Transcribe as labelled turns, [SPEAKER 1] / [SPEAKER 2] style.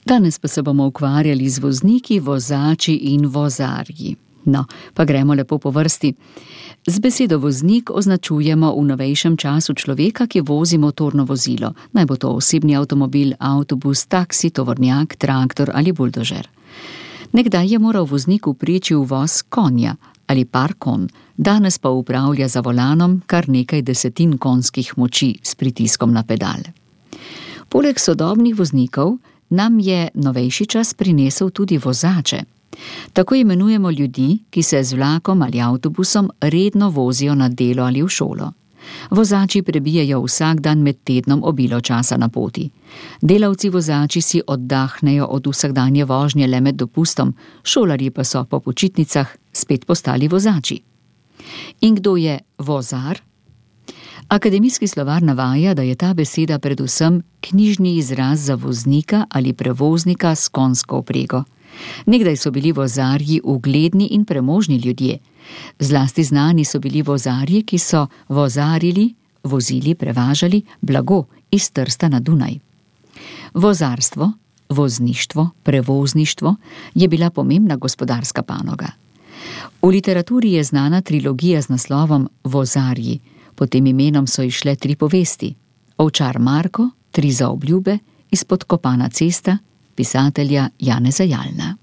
[SPEAKER 1] Danes pa se bomo ukvarjali z vozniki, vozači in vozarji. No, pa gremo lepo po vrsti. Z besedo voznik označujemo v novejšem času človeka, ki vozi motorno vozilo. Naj bo to osebni avtomobil, avtobus, taksi, tovornjak, traktor ali buldožer. Nekdaj je moral voznik vpreči uvoz konja ali par konj, danes pa upravlja za volanom kar nekaj desetin konjskih moči s pritiskom na pedal. Poleg sodobnih voznikov nam je novejši čas prinesel tudi vozače. Tako imenujemo ljudi, ki se z vlakom ali avtobusom redno vozijo na delo ali v šolo. Vozači prebijajo vsak dan med tednom obilo časa na poti. Delavci vozači si oddahnejo od vsakdanje vožnje le med dopustom, šolarji pa so po počitnicah spet postali vozači. In kdo je vozar? Akademijski slovar navaja, da je ta beseda predvsem knjižni izraz za voznika ali prevoznika s konjsko vprego. Nekdaj so bili vozarji ugledni in premožni ljudje. Zlasti znani so bili vozarji, ki so vozarili, vozili, prevažali blago iz Trsta na Dunaj. Vozarstvo, vozništvo, prevozništvo je bila pomembna gospodarska panoga. V literaturi je znana trilogija z naslovom Vozarji. Pod tem imenom so izšle 3 povesti. Ovčar Marko, 3 zaobljube, Izpodkopana cesta, pisatelja Janeza Jalna.